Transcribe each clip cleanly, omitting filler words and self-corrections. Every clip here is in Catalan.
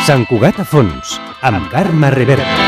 Sant Cugat a fons, amb Carme Reverte.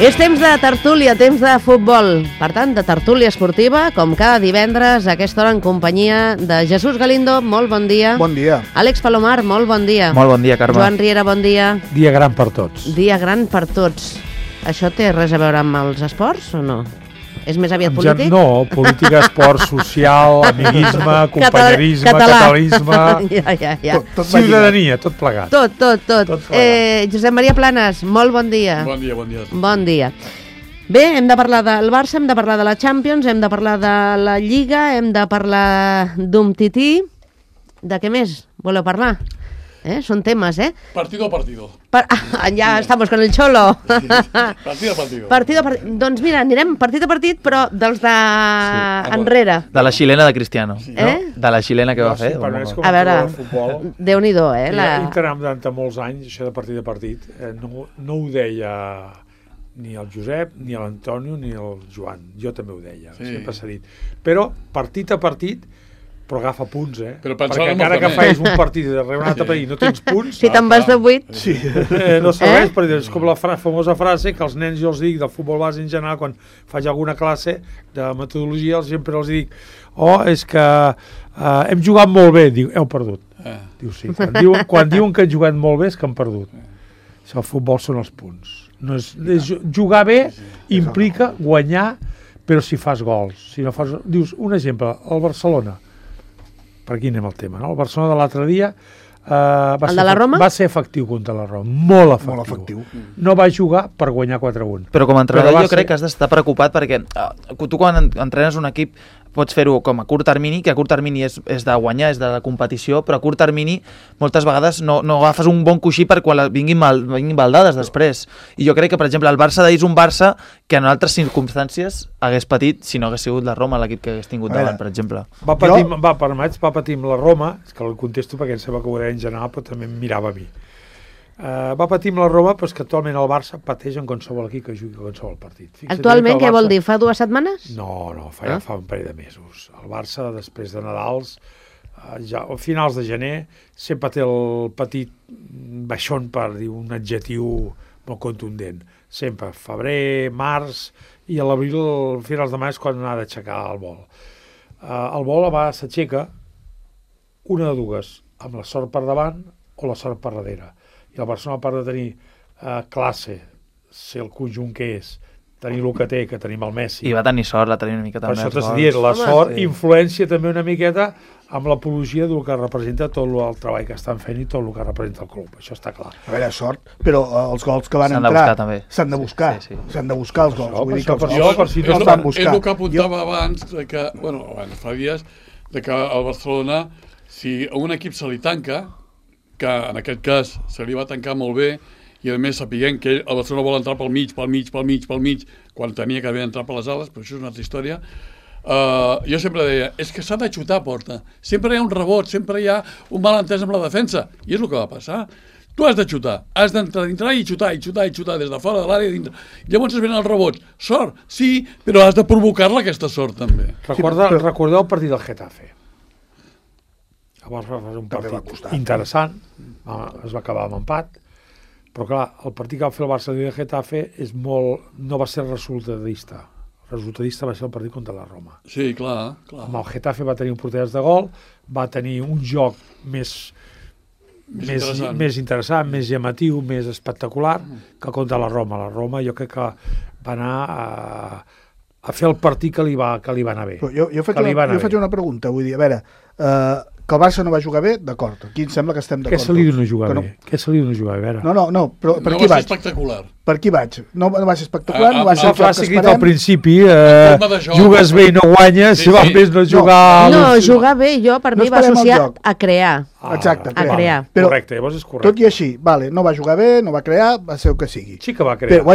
És temps de tertúlia, temps de futbol. Per tant, de tertúlia esportiva, com cada divendres, a aquesta hora en companyia de Jesús Galindo, molt bon dia. Bon dia. Àlex Palomar, molt bon dia. Molt bon dia, Carme. Joan Riera, bon dia. Dia gran per tots. Dia gran per tots. Això té res a veure amb els esports o no? És més aviat polític? No, política, esport, social, amiguisme, companyerisme, catalanisme, ja. ciutadania, tot plegat. Tot Tot plegat. Josep Maria Planes, molt bon dia. Bon dia. Bon dia. Bé, hem de parlar del Barça, hem de parlar de la Champions, hem de parlar de la Lliga, hem de parlar d'un tití. De què més voleu parlar? Són temes, Partido a partido. Ja estamos con el Cholo. Partido a partido. Doncs mira, anirem partit a partit, però dels de enrere. De la xilena de Cristiano. Eh? De la xilena que va fer. A veure, Déu-n'hi-do, Interam durant molts anys, això de partit a partit, no ho deia ni el Josep, ni l'Antonio, ni el Joan. Jo també ho deia, sempre s'ha dit. Però partit a partit, però agafa punts, perquè encara que fais un partit darrere un altre partit i no tens punts... Si te'n vas de 8... Sí, no serveix, perquè és com la famosa frase que els nens jo els dic del futbol base en general, quan faig alguna classe de metodologia, sempre els dic és que hem jugat molt bé, diu, heu perdut. Diu, sí, quan diuen que han jugat molt bé és que han perdut. El futbol són els punts. Jugar bé implica guanyar, però si fas gols. Si no fas... Dius, un exemple, el Barcelona, per aquí anem al tema, no? El Barcelona de l'altre dia va ser efectiu contra la Roma, molt efectiu. No va jugar per guanyar 4-1. Però com a entrenador jo crec que has d'estar preocupat perquè tu quan entrenes un equip pots fer-ho com a curt termini, que a curt termini és de guanyar, és de competició, però a curt termini moltes vegades no agafes un bon coixí per quan vinguin baldades després. I jo crec que, per exemple, el Barça d'ahir és un Barça que en altres circumstàncies hagués patit si no hagués sigut la Roma l'equip que hagués tingut davant, per exemple. Va patir amb la Roma, és que el contesto perquè em sembla que ho deia en general, però també em mirava a mi. Va patir amb la Roma, però és que actualment el Barça pateix en qualsevol equip que jugui qualsevol partit. Actualment, què vol dir? Fa 2 setmanes? No, fa un parell de mesos. El Barça, després de Nadals, ja a finals de gener, sempre té el petit baixón, per dir un adjectiu molt contundent. Sempre, febrer, març, i a l'abril, finals de maig, quan ha d'aixecar el vol. El vol a vegades s'aixeca una de dues, amb la sort per davant o la sort per darrere. I el Barcelona, a part de tenir classe, ser el conjunt que és, tenir el que té, que tenim el Messi... I va tenir sort, la tenia una miqueta més. Per això t'has dit, la sort influència també una miqueta amb l'apologia del que representa tot el treball que estan fent i tot el que representa el club. Això està clar. A veure, sort, però els gols que van entrar s'han de buscar. S'han de buscar els gols. Vull dir que és el que apuntava abans, fa dies, que al Barcelona, si a un equip se li tanca, que en aquest cas se li va tancar molt bé i a més sapiguem que el Barcelona vol entrar pel mig, quan tenia que haver entrat per les ales, però això és una altra història. Jo sempre deia, és que s'ha de xutar a porta, sempre hi ha un rebot, sempre hi ha un malentès amb la defensa, i és el que va passar. Tu has de xutar, has d'entrar dintre i xutar des de fora de l'àrea dintre. Llavors es venen els rebots. Sort, sí, però has de provocar-la aquesta sort també. Recordeu el partit del Getafe. Llavors va fer un partit interessant, es va acabar amb empat, però clar, el partit que va fer el Barça i el Getafe no va ser resultadista. El resultadista va ser el partit contra la Roma. Sí, clar. Amb el Getafe va tenir un porter de gol, va tenir un joc més interessant, més llamatiu, més espectacular que contra la Roma. La Roma jo crec que va anar a fer el partit que li va anar bé. Jo faig una pregunta, vull dir, a veure, que el Barça no va jugar bé, d'acord. Aquí em sembla que estem d'acord. Què se li diu no jugar bé? Què se li diu no jugar bé? No, però per aquí vaig? No va ser espectacular. Per qui vaig? No va ser espectacular, no va ser el joc que esperem. Al principi, jugues bé i no guanyes, si val més no jugar... No, jugar bé, jo, per mi, va associar a crear. Exacte, a crear. Correcte, llavors és correcte. Tot i així, no va jugar bé, no va crear, va ser el que sigui. Sí que va crear,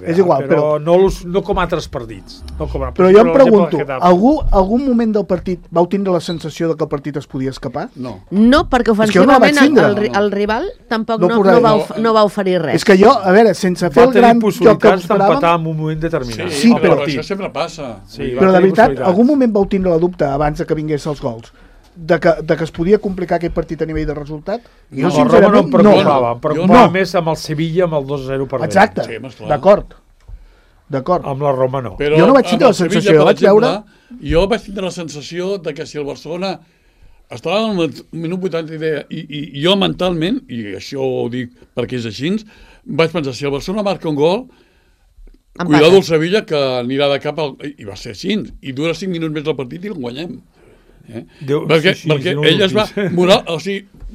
és igual, però no com altres partits. Però jo em pregunto, algun moment del partit vau tindre la sensació que el partit es podia escapar? No, perquè ofensivament el rival tampoc no va oferir res. És que jo, a veure, sense fer el gran joc que esperàvem... d'empatar en un moment determinat. Sí, però això sempre passa. Però de veritat, algun moment vau tindre la dubte abans que vingués els gols de que es podia complicar aquest partit a nivell de resultat? Jo, Roma no em preocupava. Em preocupava més amb el Sevilla, amb el 2-0 perdent. Exacte, d'acord. Amb la Roma no. Jo no vaig tindre la sensació, jo vaig veure... Jo vaig tindre la sensació de que si el Barcelona estava al minut 80 i jo mentalment, i això ho dic perquè és així, vaig pensar, si el Barcelona marca un gol, cuidado el Sevilla que anirà de cap i va ser així, i dura 5 minuts més el partit i el guanyem. Perquè ell es va...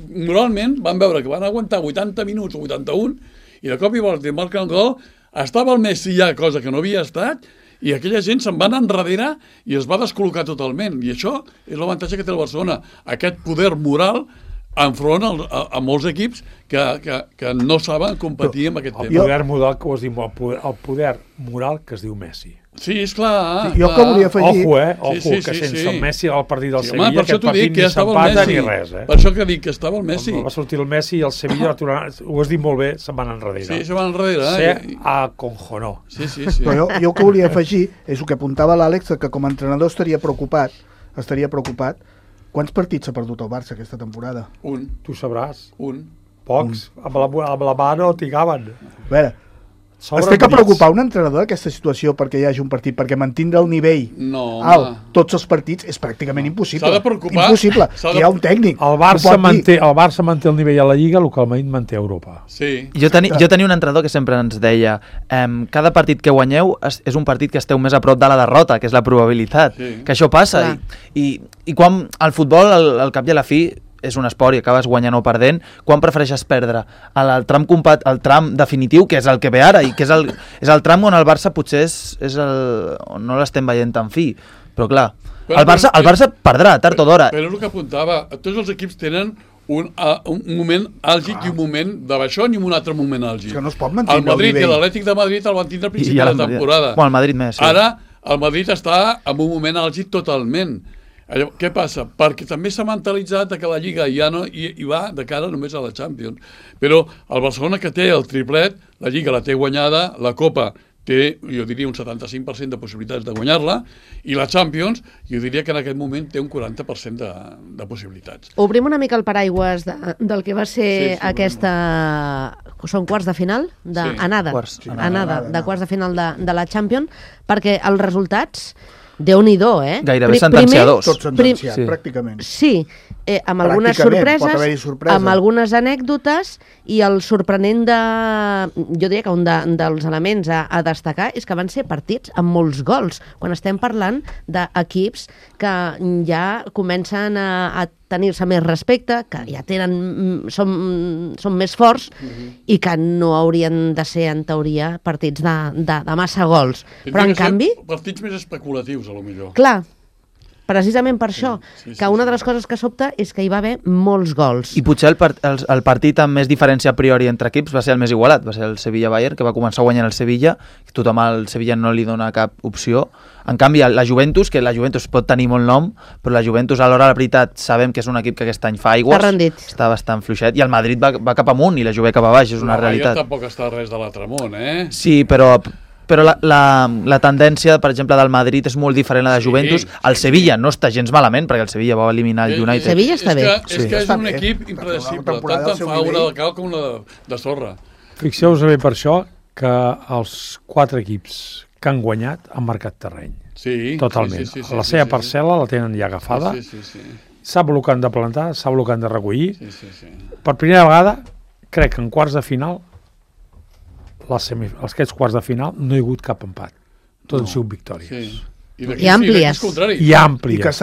Moralment van veure que van aguantar 80 minuts o 81 i de cop i volta marca un gol, estava el Messi ja, cosa que no havia estat, i aquella gent se'n va anar enrere i es va descol·locar totalment. I això és l'avantatge que té el Barcelona, aquest poder moral enfront a molts equips que no saben competir amb aquest tema. El poder moral que ho has dit, el poder moral que es diu Messi. Sí, és clar. Jo que volia afegir... Ojo, que sense el Messi al partit del Sevilla, aquest partit ni s'empata ni res. Per això que dic que estava el Messi. Va sortir el Messi i el Sevilla, ho has dit molt bé, se'n van enrere. Sí, se'n van enrere. Se aconjonó. Però jo que volia afegir és el que apuntava l'Àlex, que com a entrenador estaria preocupat. Quants partits s'ha perdut el Barça aquesta temporada? Un. Tu sabràs. Un. Pocs. Amb la mà no trigaven. A veure, es té que preocupar un entrenador d'aquesta situació perquè hi hagi un partit, perquè mantindre el nivell alt tots els partits és pràcticament impossible. S'ha de preocupar. Impossible. Hi ha un tècnic. El Barça manté el nivell a la Lliga, el que el Madrid manté a Europa. Sí. Jo tenia un entrenador que sempre ens deia cada partit que guanyeu és un partit que esteu més a prop de la derrota, que és la probabilitat. Que això passa. I quan el futbol, al cap i a la fi, és un esport i acabes guanyant o perdent, quan prefereixes perdre? El tram definitiu, que és el que ve ara, i que és el tram on el Barça potser on no l'estem veient tan fi. Però clar, el Barça perdrà tard o d'hora. Però és el que apuntava, tots els equips tenen un moment àlgic i un moment de baixón i un altre moment àlgic. És que no es pot mantenir el Madrid i l'Atlètic de Madrid el van tindre al principi de la temporada. Bueno, el Madrid més, sí. Ara el Madrid està en un moment àlgic totalment. Què passa? Perquè també s'ha mentalitzat que la Lliga ja no hi va de cara només a la Champions. Però el Barcelona, que té el triplet, la Lliga la té guanyada, la Copa té, jo diria, un 75% de possibilitats de guanyar-la, i la Champions, jo diria que en aquest moment té un 40% de possibilitats. Obrim una mica el paraigües del que va ser aquesta... Són quarts de final? Anada de quarts de final de la Champions, perquè els resultats... Déu-n'hi-do, Gairebé sentenciadors. Tot sentenciat, pràcticament. Sí, amb algunes sorpreses, amb algunes anècdotes, i el sorprenent jo diria que un dels elements a destacar és que van ser partits amb molts gols, quan estem parlant d'equips que ja comencen a tenir-se més respecte, que ja són més forts i que no haurien de ser, en teoria, partits de massa gols. Però, en canvi... Partits més especulatius, a lo millor. Clar, precisament per això, que una de les coses que sobta és que hi va haver molts gols. I potser el partit amb més diferència a priori entre equips va ser el més igualat, va ser el Sevilla-Bayern, que va començar guanyant el Sevilla, tothom al Sevilla no li dona cap opció. En canvi, la Juventus, que la Juventus pot tenir molt nom, però la Juventus, a l'hora de la veritat, sabem que és un equip que aquest any fa aigües, està bastant fluixet, i el Madrid va cap amunt i la Juve cap a baix, és una realitat. El tampoc està res de l'altre món, Sí, però la tendència, per exemple, del Madrid és molt diferent a la de Juventus. El Sevilla no està gens malament, perquè el Sevilla va eliminar el United. Sevilla està bé. És que és un equip impredecible, tant en fa una de cal com una de sorra. Fixeu-vos bé per això que els 4 equips que han guanyat han marcat terreny. Sí. Totalment. La seva parcel·la la tenen ja agafada. Sap el que han de plantar, sap el que han de recollir. Per primera vegada, crec que en quarts de final, aquests quarts de final, no hi ha hagut cap empat. Tot han sigut victòries. I àmplies. I àmplies.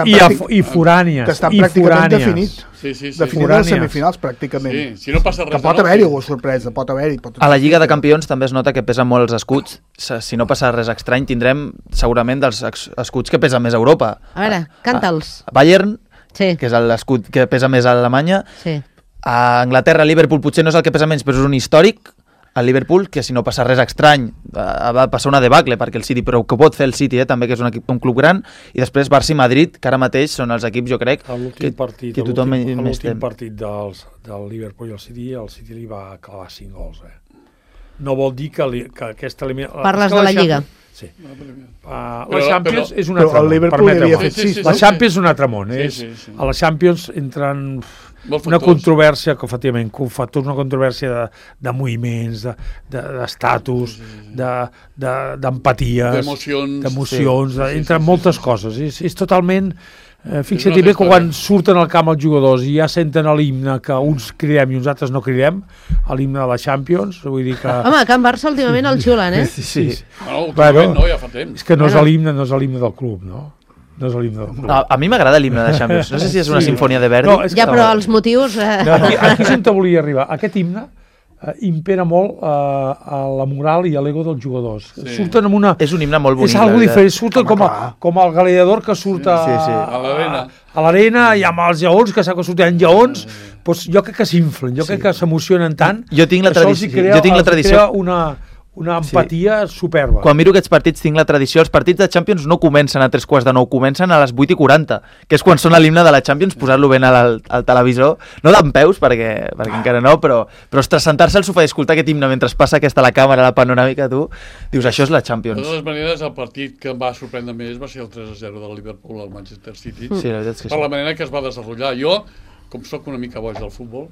I forànies. Que estan pràcticament definit. Sí. Definit les semifinals, pràcticament. Sí, si no passa res. Que pot haver-hi alguna sorpresa, pot haver-hi. A la Lliga de Campions també es nota que pesen molt els escuts. Si no passa res estrany, tindrem segurament dels escuts que pesen més a Europa. A veure, canta'ls. Bayern, Sí. que és l'escut que pesa més a Alemanya. Sí. A Anglaterra, Liverpool potser no és el que pesa menys, però és un històric, el Liverpool, que si no passa res estrany va passar una debacle, perquè el City, però que pot fer el City, també, que és un club gran, i després Barça i Madrid, que ara mateix són els equips, jo crec, que tothom més tem. L'últim partit del Liverpool i el City li va clavar 5 gols. No vol dir que aquesta eliminació... Parles de la Lliga. Sí. La Champions és un altre món. La Champions és un altre món. A la Champions entren una controvèrsia, que efectivament, una controvèrsia de moviments, d'estatus, d'empaties, d'emocions, entren moltes coses. És totalment... Fixa't bé que quan surten al camp els jugadors i ja senten l'himne que uns cridem i uns altres no cridem, l'himne de la Champions, vull dir que... Home, a Can Barça últimament el xulen, eh? Sí. Últimament no, ja fa temps. És que no és l'himne del club, no? No és l'himne del club. A mi m'agrada l'himne de Champions. No sé si és una sinfonia de Verdi. No, ja, però els motius... Aquí és on volia arribar. Aquest himne impera molt a la moral i a l'ego dels jugadors. Surten amb una... És un himne molt bonic. És algo diferent. Surten com el gladiador que surt a l'arena i amb els lleons, que sap que surten lleons, doncs jo crec que s'inflen, jo crec que s'emocionen tant. Jo tinc la tradició... Una empatia superba. Quan miro aquests partits tinc la tradició, els partits de Champions no comencen a 3:45, comencen a les 8:40, que és quan sona l'himne de la Champions, posar-lo ben al televisor, no dempeus, perquè encara no, però ostres, sentar-se al sofà i escoltar aquest himne mentre passa aquesta a la càmera, la panoràmica, tu dius, això és la Champions. De totes maneres, el partit que em va sorprendre més va ser el 3-0 del Liverpool al Manchester City, sí, la veritat és que per la manera que es va desenvolupar. Jo, com sóc una mica boig del futbol,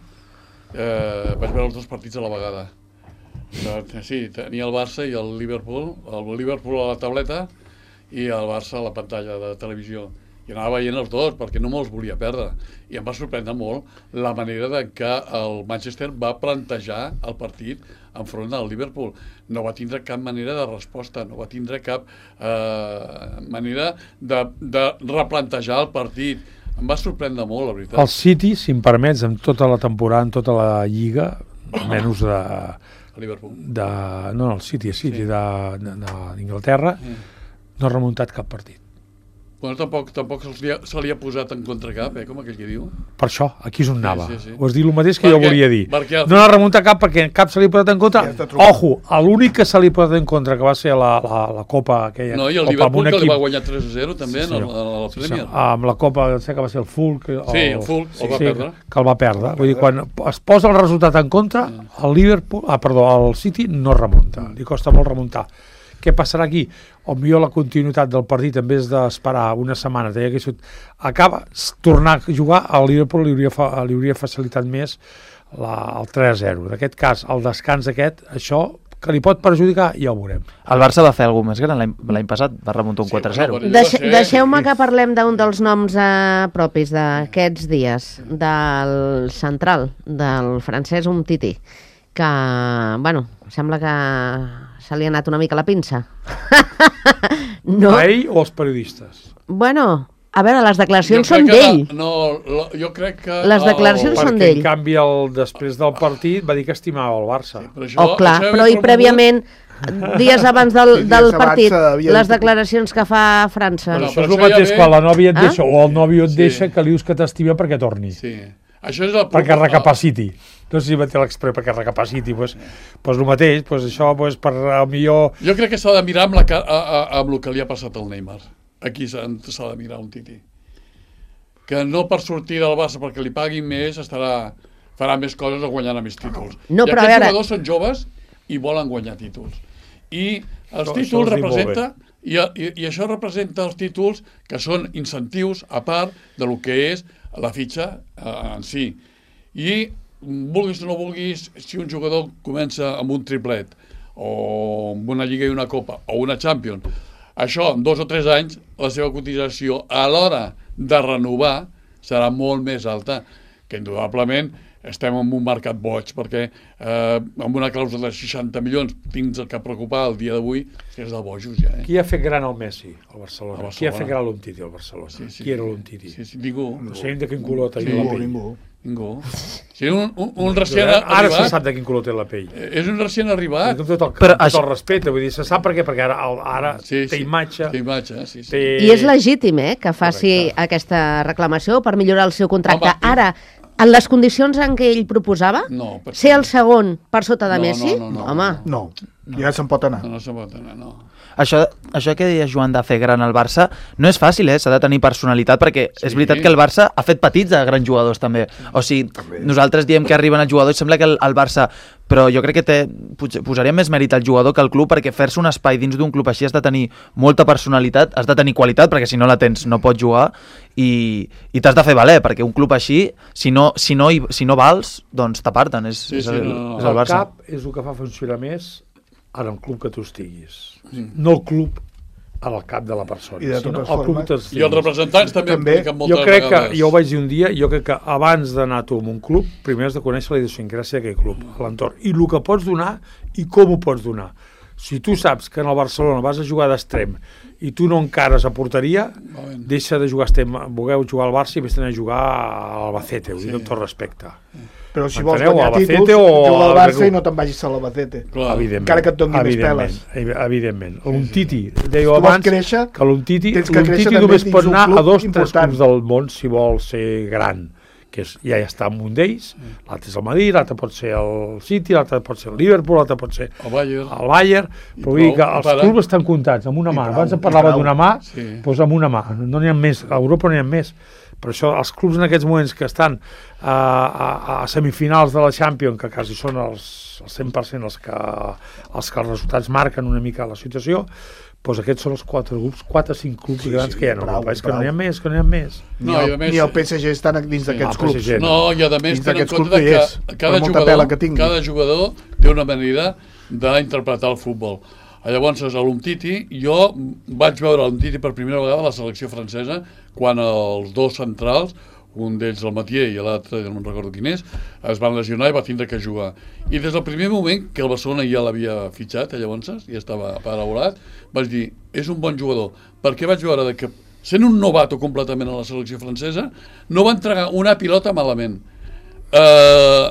vaig veure els dos partits a la vegada. Sí, tenia el Barça i el Liverpool a la tauleta i el Barça a la pantalla de televisió. I anava veient els dos perquè no me'ls volia perdre. I em va sorprendre molt la manera de que el Manchester va plantejar el partit enfront del Liverpool. No va tindre cap manera de resposta, no va tindre cap manera de replantejar el partit. Em va sorprendre molt, la veritat. El City, si em permets, en tota la temporada, en tota la Lliga, menys Liverpool. El City d'Inglaterra, no ha remuntat cap partit. Bueno, tampoc se li ha posat en contra cap, com aquell que diu. Per això, aquí és on anava. Sí. Ho has dit el mateix que jo volia dir. No ha remuntat cap perquè cap se li ha posat en contra. Ojo, l'únic que se li ha posat en contra, que va ser la Copa aquella. No, i el Liverpool que li va guanyar 3-0 també a la Premier. Amb la Copa, sé que va ser el Fulham. El va perdre. Que el va perdre. Vull dir, quan es posa el resultat en contra, el City no remunta. Li costa molt remuntar. Què passarà aquí? O millor la continuïtat del partit, en vez d'esperar una setmana, tornar a jugar, al Liverpool li hauria facilitat més el 3-0. En aquest cas, el descans aquest, això que li pot perjudicar, ja ho veurem. El Barça va fer alguna més gran l'any passat, va remuntar un 4-0. Deixeu-me que parlem d'un dels noms propis d'aquests dies, del central, del francès Umtiti, que, bueno, sembla que se li ha anat una mica la pinça. No? A ell o als periodistes? Bueno, a veure, les declaracions són d'ell. Jo crec que... Les declaracions són d'ell. Perquè, en canvi, després del partit va dir que estimava el Barça. Però i prèviament, dies abans del partit, les declaracions que fa França. Això és el mateix quan la nòvia et deixa o el nòvio et deixa, que li dius que t'estima perquè torni. Sí. Això és el perquè recapaciti. No sé si va tenir l'express perquè recapaciti. Doncs el mateix, això per millor... Jo crec que s'ha de mirar amb el que li ha passat al Neymar. Aquí s'ha de mirar un Titi. Que no per sortir del Barça perquè li paguin més farà més coses o guanyarà més títols. No, I aquests jugadors són joves i volen guanyar títols. I els títols representa... I això representa els títols que són incentius a part del que és la fitxa en si. I vulguis o no vulguis, si un jugador comença amb un triplet o amb una Lliga i una Copa o una Champions, això en 2 o 3 anys la seva cotització a l'hora de renovar serà molt més alta, que indudablement estem en un mercat boig, perquè amb una clàusula de 60 milions tens el que preocupar el dia d'avui, és de bojos ja. Qui ha fet gran el Messi al Barcelona? Qui ha fet gran l'Umtiti al Barcelona? Qui era l'Umtiti? Ningú. No sé de quin color tenia la pell. Ningú. Sí, un recient arribat... Ara se sap de quin color té la pell. És un recient arribat. Amb tot el respecte, vull dir, se sap per què, perquè ara té imatge. Té imatge, sí. I és legítim, que faci aquesta reclamació per millorar el seu contracte. Ara, en les condicions en què ell proposava, ser el segon per sota de Messi, home... No, ja se'n pot anar. No se'n pot anar, no. Això que deia Joan de fer gran el Barça no és fàcil, s'ha de tenir personalitat, perquè és veritat que el Barça ha fet petits a grans jugadors també. O sigui, nosaltres diem que arriben els jugadors, sembla que el Barça... Però jo crec que posaria més mèrit al jugador que al club, perquè fer-se un espai dins d'un club així has de tenir molta personalitat, has de tenir qualitat, perquè si no la tens no pots jugar, i t'has de fer valer, perquè un club així, si no vals, doncs t'aparten, és el Barça. El cap és el que fa funcionar més en el club que tu estiguis. No el club en el cap de la persona. I de totes formes. I els representants també impliquen moltes vegades. Jo crec que, jo ho vaig dir un dia, jo crec que abans d'anar tu a un club, primer has de conèixer la idiosincràsia d'aquell club, a l'entorn, i el que pots donar i com ho pots donar. Si tu saps que en el Barcelona vas a jugar d'extrem i tu no encares a porteria, deixa de jugar extrem, vulgueu jugar al Barça i vés a jugar a l'Albacete, ho dic amb tot respecte. Però si vols guanyar títols, juga al Barça i no te'n vagis a l'Albacete. Encara que et doni més peles. Evidentment. L'Umtiti, deia abans que l'Umtiti només pot anar a 2 o 3 clubs del món si vol ser gran, que ja està en un d'ells, l'altre és el Madrid, l'altre pot ser el City, l'altre pot ser el Liverpool, l'altre pot ser el Bayern, però vull dir que els clubs estan comptats amb una mà. Abans parlava d'una mà, doncs amb una mà. No n'hi ha més, a Europa no n'hi ha més. Per això els clubs en aquests moments que estan a semifinals de la Champions, que quasi són els 100% els que els resultats marquen una mica la situació, doncs aquests són els 4 o 5 clubs grans que hi ha en Europa. És que no n'hi ha més, Ni el PSG està dins d'aquests clubs. No, i a més tenen en compte que cada jugador té una manera d'interpretar el futbol. Llavors, a l'Umtiti, jo vaig veure l'Umtiti per primera vegada a la selecció francesa quan els 2 centrals, un d'ells el Mathieu i l'altre, no me'n recordo quin és, es van lesionar i va tindre que jugar. I des del primer moment que el Barcelona ja l'havia fitxat, llavors, ja estava paraulat, vaig dir, és un bon jugador, perquè vaig veure que, sent un novato completament a la selecció francesa, no va entregar una pilota malament.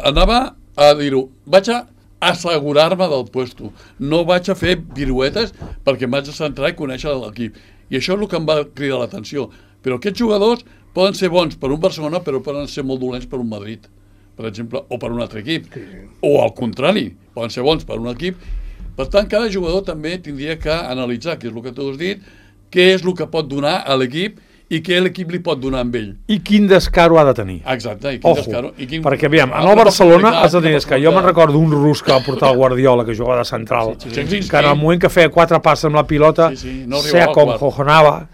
Anava a dir-ho, vaig a assegurar-me del puesto. No vaig a fer piruetes perquè em vaig a centrar i conèixer l'equip. I això és el que em va cridar l'atenció. Però aquests jugadors poden ser bons per un Barcelona, però poden ser molt dolents per un Madrid, per exemple, o per un altre equip. O al contrari, poden ser bons per un equip. Per tant, cada jugador també tindria que analitzar, que és el que tu has dit, què és el que pot donar a l'equip i què l'equip li pot donar amb ell. I quin descaro ha de tenir. Exacte, i quin descaro. Perquè, aviam, en el Barcelona has de tenir descaro. Jo me'n recordo un rus que va portar el Guardiola, que jugava de central, que en el moment que feia 4 passes amb la pilota, se aconjojonava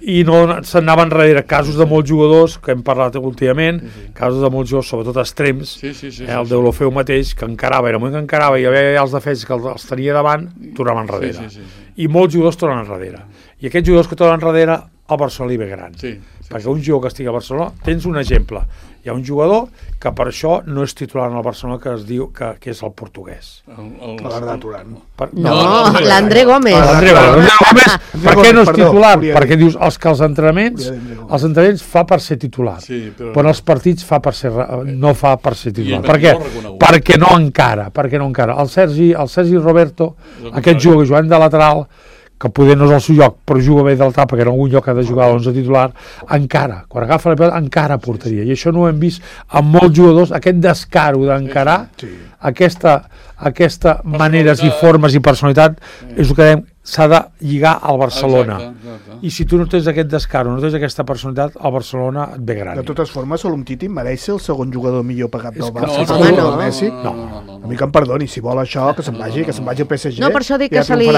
i no s'anava enrere. Casos de molts jugadors, que hem parlat últimament, casos de molts jugadors, sobretot extrems, el Deulofeu mateix, que encarava, i en el moment que encarava i hi havia els defenses que els tenia davant, tornaven enrere. I molts jugadors tornen enrere. I aquests jugadors que tornen enrere, al Barcelona li ve gran. Perquè un jugador que estigui a Barcelona, tens un exemple. Hi ha un jugador que per això no és titular en el Barcelona, que es diu que és el portuguès. L'Arda Turan. No, l'André Gómez. L'André Gómez. Per què no és titular? Perquè dius, els entrenaments fa per ser titular, però en els partits no fa per ser titular. Per què? Perquè no encara. El Sergi Roberto, aquest jugador jugant de lateral, que poder no és el seu lloc, però juga bé del tap, perquè en algun lloc ha de jugar a l'11 titular, encara, quan agafa la pilota, encara portaria. I això no ho hem vist amb molts jugadors, aquest descaro d'encarar, aquesta maneres i formes i personalitat, és el que dèiem, s'ha de lligar al Barcelona. I si tu no tens aquest descaro, no tens aquesta personalitat, el Barcelona et ve gran. De totes formes, l'Umtiti mereix ser el segon jugador millor pagat del Barça. No. A mi que em perdoni, si vol això, que se'n vagi al PSG. No, per això dic que se li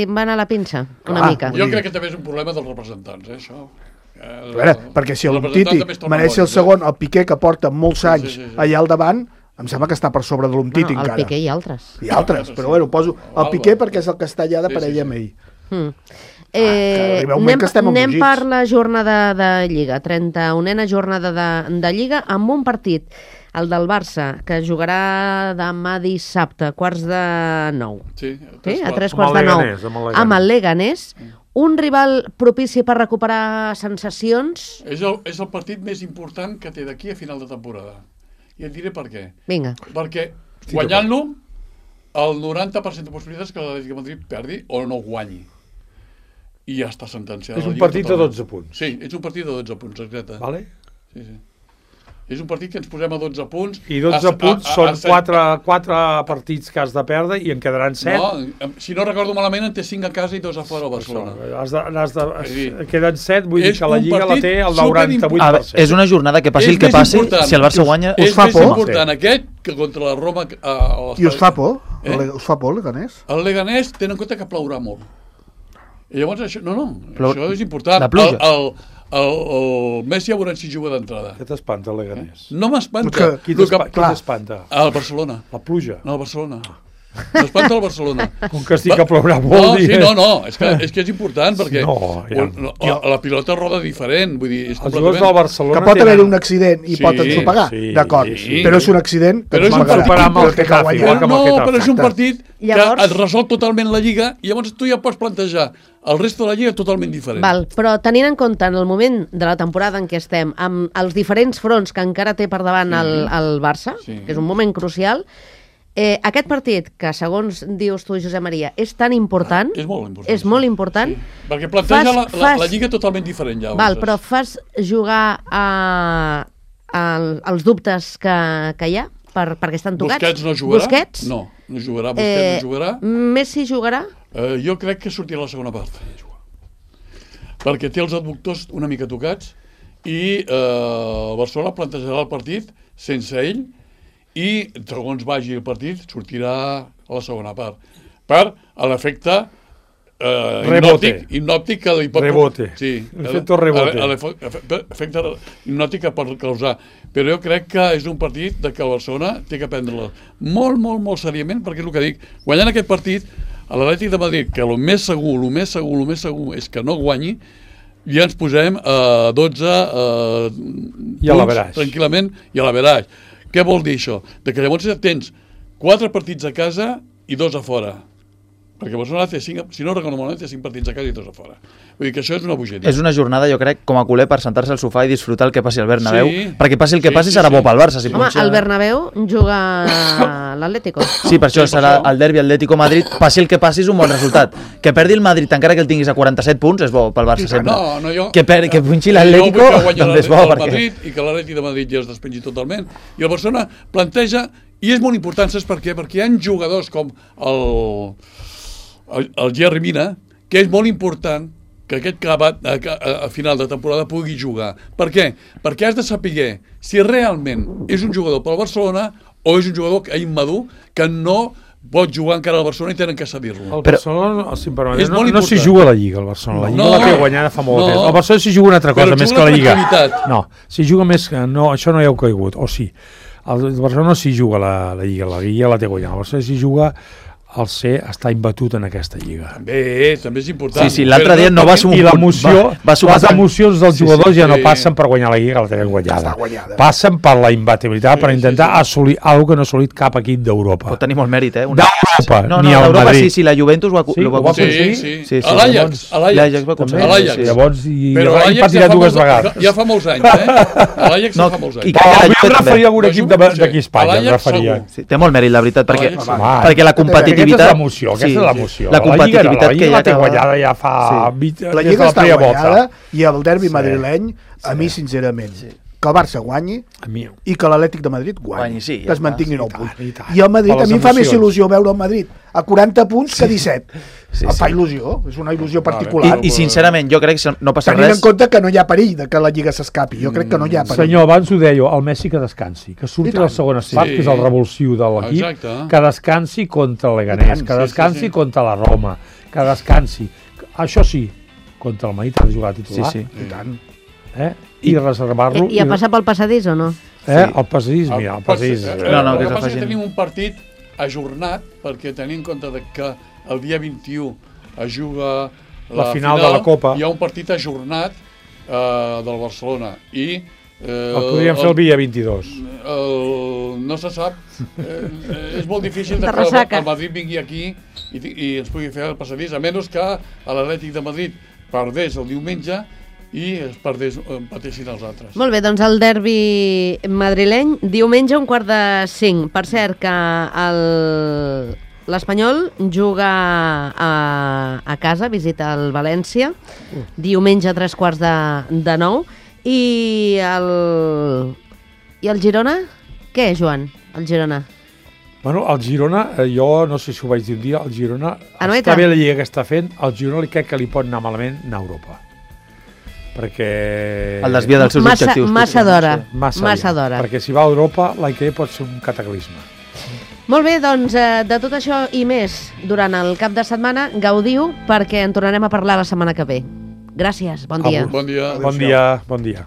va anar la pinça, una mica. Jo crec que també és un problema dels representants, això. A veure, perquè si l'Umtiti mereix ser el segon, el Piqué, que porta molts anys allà al davant, em sembla que està per sobre de l'Umtiti encara. El Piqué i altres. I altres, però bueno, poso el Piqué perquè és el que està allà de parella amb ell. Anem per la jornada de Lliga, 31a jornada de Lliga, amb un partit El del Barça, que jugarà demà dissabte, 8:45. Sí, A 3:45. Amb el Leganés. Un rival propici per recuperar sensacions? És el partit més important que té d'aquí a final de temporada. I et diré per què. Vinga. Perquè guanyant-lo, el 90% de possibilitats que l'Atlètic de Madrid perdi o no guanyi. I ja està sentenciat. És un partit de 12 punts. Sí, és un partit de 12 punts, exacte. Vale? Sí. És un partit que ens posem a 12 punts. I 12 punts són 4 partits que has de perdre i en quedaran 7. No, si no recordo malament, en té 5 a casa i 2 a fora a Barcelona. Queden 7, vull dir que la Lliga la té el 98%. És una jornada que passi el que passi, si el Barça guanya... És més important aquest que contra la Roma... I us fa por? Us fa por el Leganés? El Leganés, tenen en compte que plourà molt. I llavors això... Això és important. La pluja. El Messi ja veurem si juga d'entrada. Què t'espanta el Leganés? No m'espanta. Qui t'espanta? El Barcelona. La pluja? No, el Barcelona. M'espanta el Barcelona. Com que estic a plourà molt. És que és important perquè la pilota roda diferent. Vull dir, els jugadors del Barcelona... Que pot haver un accident i pot ensopegar, d'acord. Però és un accident que però és un partit que et resol totalment la Lliga i llavors tu ja pots plantejar el resto de la Lliga totalment diferent. Val, però tenint en compte en el moment de la temporada en què estem, amb els diferents fronts que encara té per davant el Barça, que és un moment crucial, aquest partit, que segons dius tu, Josep Maria, és tan important... És molt important. És molt important. Sí. Perquè planteja la Lliga totalment diferent ja. Val, però fas jugar als dubtes que hi ha? Perquè estan tocats? Busquets no jugarà? Busquets? No jugarà. Busquets no jugarà. Messi jugarà? Jo crec que sortirà a la segona part. Perquè té els adductors una mica tocats i el Barcelona plantejarà el partit sense ell i segons vagi el partit sortirà a la segona part. Per l'efecte hipnòtic que li pot... Rebote. Sí. Efecte rebote. Efecte hipnòtic que pot causar. Però jo crec que és un partit que el Barcelona té que prendre-lo molt, molt, molt seriament, perquè és el que dic. Guanyant aquest partit, a l'Atlètic de Madrid, que el més segur és que no guanyi, ja ens posem a 12 punts tranquil·lament i a l'averaix. Què vol dir això? Que llavors tens 4 partits a casa i 2 a fora. Perquè Barcelona té 5, si no recordo malament, té 5 partits a casa i 2 a fora. Vull dir que això és una bogeria. És una jornada, jo crec, com a culer, per sentar-se al sofà i disfrutar el que passi al Bernabéu, perquè passi el que passi serà bo pel Barça. Home, al Bernabéu juga l'Atlético. Sí, per això serà el derbi Atlético-Madrid. Passi el que passi és un bon resultat. Que perdi el Madrid, encara que el tinguis a 47 punts, és bo pel Barça sempre. Que punxi l'Atlético, també és bo. I que l'Atlètic de Madrid ja es despengi totalment. I el Barcelona planteja, i és molt important, saps per què? Perquè hi ha jugadors com el Jerry Mina, que és molt important que aquest acabat a final de temporada pugui jugar. Per què? Perquè has de saber si realment és un jugador pel Barcelona o és un jugador immadur que no pot jugar encara al Barcelona i tenen que cedir-lo. El Barcelona, si em permet, no s'hi juga a la Lliga, el Barcelona. La Lliga la té guanyada fa molt temps. El Barcelona s'hi juga una altra cosa, més que la Lliga. No, s'hi juga més que... No, això no hi heu caigut, o sí. El Barcelona no s'hi juga a la Lliga la té guanyada. El Barcelona s'hi juga el ser està imbatut en aquesta Lliga. També és important. Sí, l'altre dia no va sumar. I l'emoció, les emocions dels jugadors ja no passen per guanyar la Lliga, la tenen guanyada. Passen per la imbatibilitat, per intentar assolir alguna que no ha assolit cap equip d'Europa. Pot tenir molt mèrit, d'Europa, ni al Madrid. Sí, la Juventus ho va aconseguir. Sí. L'Ajax va aconseguir. Llavors, però l'Ajax ja fa molts anys, L'Ajax ja fa molts anys. Jo referia a un equip d'aquí a Espanya, té molt mèrit, la veritat, perquè la competitivitat... Aquesta és l'emoció. La competitivitat que ja té guanyada ja fa... La Lliga està guanyada i el derbi madrileny, a mi, sincerament, que el Barça guanyi i que l'Atlètic de Madrid guanyi, que es mantingui 9 punts. I el Madrid, a mi em fa més il·lusió veure el Madrid a 40 punts que 17. Em fa il·lusió, és una il·lusió particular. I sincerament, jo crec que no passa res... Tenint en compte que no hi ha perill de que la Lliga s'escapi, jo crec que no hi ha perill. Senyor, abans ho deia, el Messi que descansi, que surti a la segona part, que és el revulsiu de l'equip, que descansi contra el Leganés, que descansi contra la Roma, que descansi. Això sí, contra el Madrid ha de jugar titular. Sí, i tant. I reservar-lo... I a passar pel passadís o no? El passadís, mira, el passadís... El que passa és que tenim un partit ajornat, perquè tenim en compte que el dia 21 es juga la final de la Copa. Hi ha un partit ajornat del Barcelona i El podríem fer el dia 22. No se sap. És molt difícil que el Madrid vingui aquí i ens pugui fer el passadís, a menys que l'Atlètic de Madrid perdés el diumenge i empatessin els altres. Molt bé, doncs el derbi madrileny, diumenge 4:45. Per cert, que l'Espanyol juga a casa, visita el València, diumenge a 8:45. I el Girona? Què, Joan, el Girona? Bueno, el Girona, jo no sé si ho vaig dir un dia, el Girona està bé la lliga que està fent, el Girona crec que li pot anar malament anar a Europa. Perquè... El desvia dels seus objectius. Massa d'hora. Perquè si va a Europa, l'any que ve pot ser un cataclisme. Molt bé, doncs, de tot això i més, durant el cap de setmana, gaudiu, perquè en tornarem a parlar la setmana que ve. Gràcies, bon dia. Bon dia. Bon dia.